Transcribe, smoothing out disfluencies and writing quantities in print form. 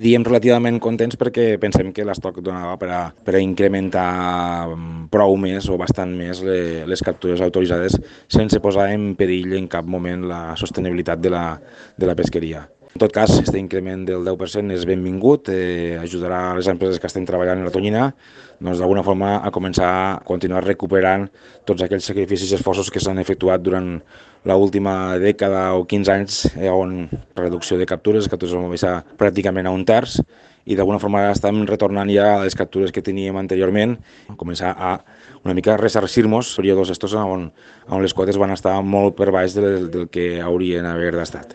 Diem relativament contents perquè pensem que l'estoc donava per a incrementar prou més o bastant més les captures autoritzades sense posar en perill en cap moment la sostenibilitat de la pesqueria. En tot cas, aquest increment del 10% és benvingut, ajudarà a les empreses que estem treballant en la tonyina doncs, d'alguna forma a començar a continuar recuperant tots aquells sacrificis i esforços que s'han efectuat durant l'última dècada o 15 anys on reducció de captures van baixar pràcticament a un terç i d'alguna forma estem retornant ja a les captures que teníem anteriorment, començar a una mica ressarcir-nos períodes estos on les quotes van estar molt per baix del que haurien d'haver estat.